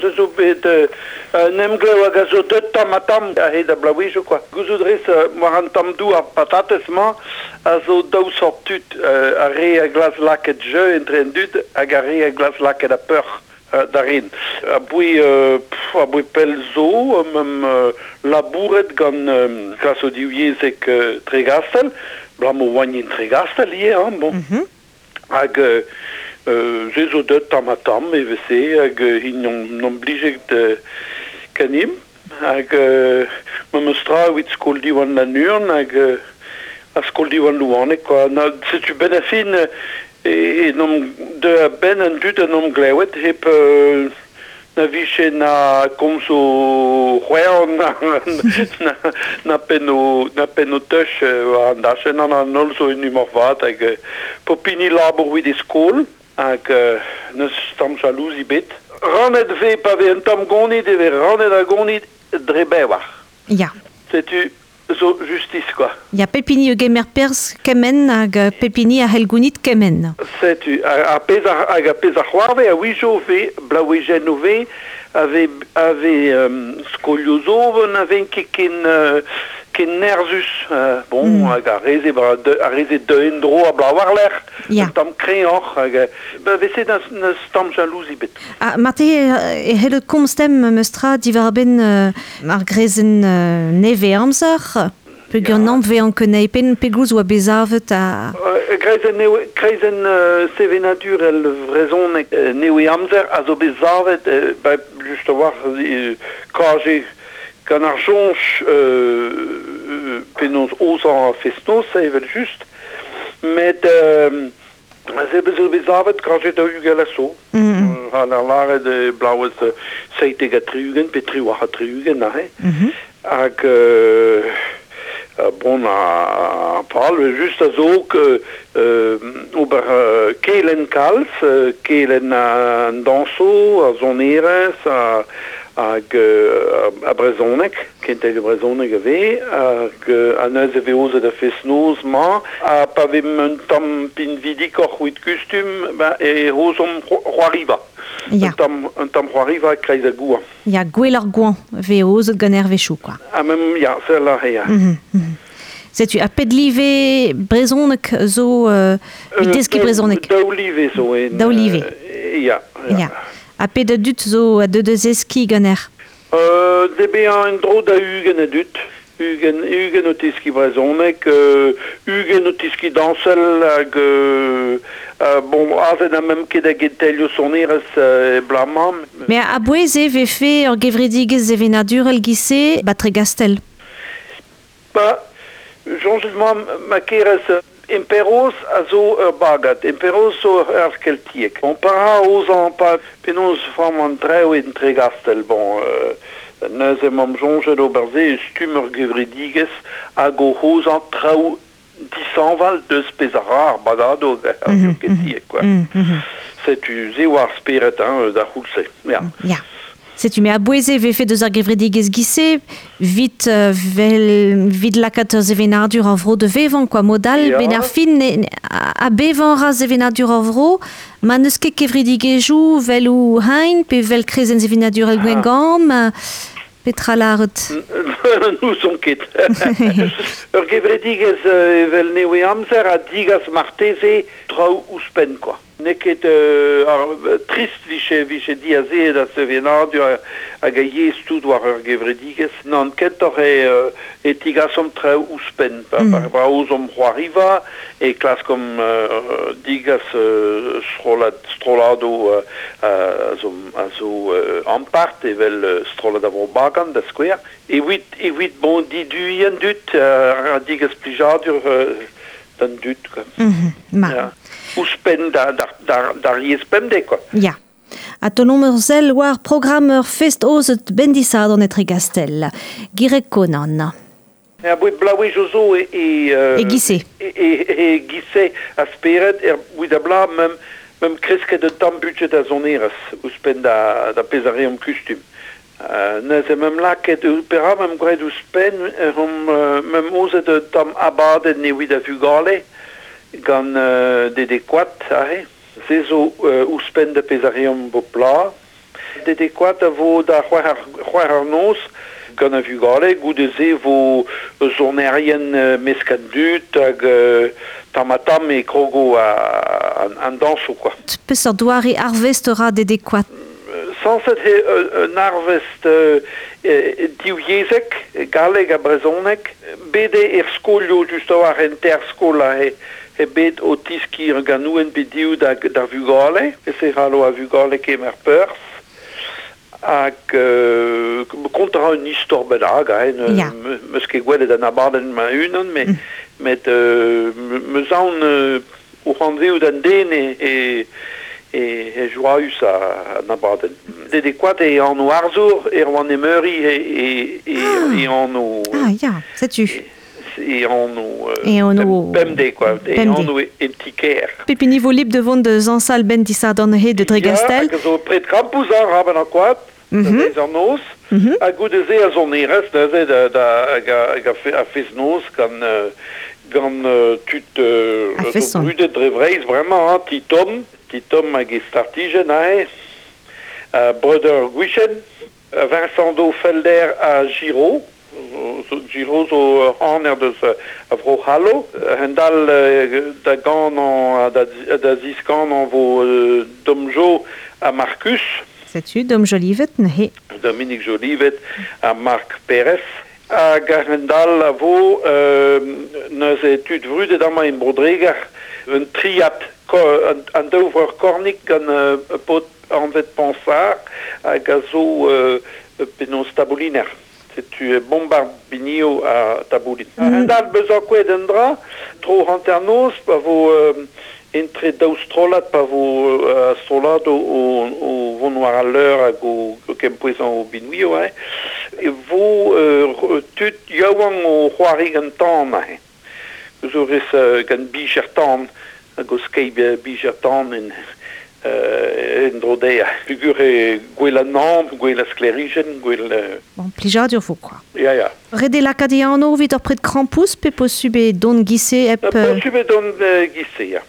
se zo bet un emglev hag a zo deut tamm-ha-tamm a-hed ar bloavezhioù kwa. Gouzout rez war an tamm douar patatez-mañ a zo daou sort tud, ar re a glask lakaat jeu entre an dud hag ar re a glask lakaat ar peoc'h da ren. Aboe aboe pell zo 'meump labouret gant klasoù divyezhek Tregastell, 'balamour 'oan en Tregastell ivez hañ bon. Hag se zo deuet tamm-ha-tamm evel-se hag int n'omp blijet ganimp. Hag memes tra evit skol Diwan Lannuon hag ar skol Diwan Louaneg kwa. Na, setu benn ar fin e n'omp deuet a-benn an dud en omp glevet hep na vije na komzoù c'hwerv na pennoù na pennoù teuch war an dachenn. An an holl zo en humor vat hag pep hini labour evit e skol hag n'eus tamm jalouzi bet. Rannet 'vez pa vez un tamm gonid e vez rannet ar gonid dre bevar. Ya. Setu zo justis kwa. Ya, pep hini a gemer perzh kement hag pep hini a c'hell gounit kement. Setu, ar pezh a, hag ar pezh a c'hoarve a-wezhioù 'vez blaouejennoù 'vez a vez a vez skolioù zo na vez ket ken ken nerzhus. Bon, hag ar re-se ar re-se deu en-dro a bloaz war-lerc'h, un tamm kreñvoc'h hag ba vese n'eus tamm jalouzi bet. Ha marteze e c'hellot komz demp memes tra diwar-benn ar grezenn nevez-amzer peogwir n'am vezañ ket anezhi pegoulz oa bet savet ha... Kreizenn kreizenn sevenadurel vrezhonek nevez-amzer a zo bet savet ba just a-walc'h KG gant ar soñj penaos aozañ ar fest-noz evel-just met Se zo bet savet kajet 40 a zo. Ha ar lâret e blaouez 77 pe 78 aze. Hag bon ar pal just a zo ober kelenn kalz, kelenn an dañsoù, ar sonerezh, hag ar brezhoneg, kentelioù brezhoneg a vez, hag neuze e vez aozet ar fest-noz-mañ. Ha pa vez un tamm pinvidikoc'h evit kustum, ben, e aozomp c'hoariva. Ya. Un tamm c'hoariva e-kreiz ar goañv. Ya, gwell ar goañv 'vez aozet gant Hervechoù, quoi. Ha même, ya, sell aze, ya. Setu, ha pet live brezhoneg zo evit deskiñ brezhoneg? Daou live zo. En, Daou live. Ya, ya. Ya. Ha pet a dud zo a deu da zeskiñ ganec'h? De bezañ en-dro da 20 a dud. 20, 20 o teskiñ brezhoneg, 20 o teskiñ dañsel hag bon, aze n'a même ket a gentelioù sonerezh e bloaz-mañ. Mais a-bouez e vefe ur gevredigezh sevenadurel giz-se 'ba Tregastell? Ba, soñjet 'moa ma kerez Imperoz a zo ur bagad. Imperoz zo ur c'herz keltiek. Bon, para aozañ pa penaos framm an traoù en Tregastell. Bon, neuze 'mamp soñjet ober se e stumm ur gevredigezh hag o aozañ traoù dishañval deus pezh a ra ar bagadoù hag ar keltiek, quoi. Setu se oa ar spered hein, d'ar c'houlz-se. Ya. Ya. Setu me a-bouez e vefe deus ar gevredigezh giz-se 'vit vel 'vit lakaat ur sevenadur ar vro da vevañ quoi. Mod all 'benn ar fin ha bevañ a ra sevenadur ar vro ma n'eus ket kevredigezhioù 'vel o hein pe 'vel krezenn sevenadurel Gwengamp petra lâret? N'ouzon ket. Ur gevredigezh evel Nevez-Amzer a digas marteze traoù ouzhpenn quoi. N'eo ket trist 'vije vije diazeet ar sevenadur hag ar yezh tout war ur gevredigezh. Nann, kentoc'h eo e tigasomp traoù ouzhpenn. Pa pa aozomp c'hoariva e klaskomp digas strollad strolladoù a zo a zo ampart evel strollad a Vro Bagan da skouer. Evit evit bon diduiñ an dud ha digas plijadur d'an dud quoi. Ma. Ya. Ouzhpenn d'ar yezh pemdez quoi. Ya. Ha taolomp ur sell war programm ur fest aozet bendisadorn etre Gastell. Gireg Konan. Aboe bloavezhioù zo e e E giz-se. E, e, e giz-se a spered er bout a bloaz mem mem kresket un tamm budjed a sonerezh ouzhpenn da da pezh a reomp kustum. Neuze 'meump lakaet perak 'meump graet ouzhpenn omp 'meump aozet un tamm abadenn evit ar vugale gant Dede Koad aze. Se zo ouzhpenn da pezh a reomp bep bloaz. Dede Koad a vo da c'hwec'h eur noz gant a vugale, goude-se vo sonerien mesk an dud hag tamm-ha-tamm e krogo an dañsoù quoi. Peseurt doare arvest ra Dede Koad? Sañset eo un arvest divyezhek, galleg ha brezhoneg. Bet eo er skolioù just a-walc'h en teir skol aze eo bet o tiskiñ ur ganouenn pe div d'ar vugale. E-se c'hallo ar vugale kemer perzh. Hag kontañ a ra un istor bennak, hein, 'm eus ket gwelet an abadenn ma-unan, met 'm eus aon o anavezout an den e joaüs an abadenn. Dede Koad e anv arzour, Erwan Emeuri e anv... Ah ya, setu. E anv E anv pemdez quoi, e anv en ti-kêr. Pep hini vo libr de vont da zañsal 'benn disadorn he de Tregastel. Ya, hag a zo pred krampouezh ar raben ar koad, da deiz an noz, ha goude-se a sonerezh neuze da hag a fest-noz gant tud zo brudet dre Vreizh bremañ, hein, Ti Tom, Ti Tom hag e startijenn aze, Breudeur Gwichen, Vincent Do Felder ha Giraud, Giraud zo ur c'haner deus a Vro-C'hallo, a-hend-all da ganañ da ziskanañ vo Dom Jo ha Marcus. Setu Dom Jolivet neuze. Dominique Jolivet ha Marc Perez. Hag a-hend-all a vo neuze tud vrudet amañ en Bro-Dreger, un triad, an daou vreur Cornic gant paotr anvet Pansard hag a zo penaos tabouliner. Setu bombard binioù ha taboulin. A-hend-all bezañ kouezhet un dra, tro hanternoz pa vo entre daou strollad pa vo strollad o vont war al leur hag o kempouezañ o binvioù, hein, e vo tud yaouank o c'hoari gant tan aze. Zo rez gant bijer tan hag o skeiñ bijer tan en dro dezhañ. Peogwir eo gwell an hañv, gwell ar sklêrijenn, gwell... Bon, plijadur vo quoi. Ya, ya. Ret eo lakaat e anv evit ur pred krampouezh pe posubl eo dont giz-se hep... Posubl eo dont giz-se, ya.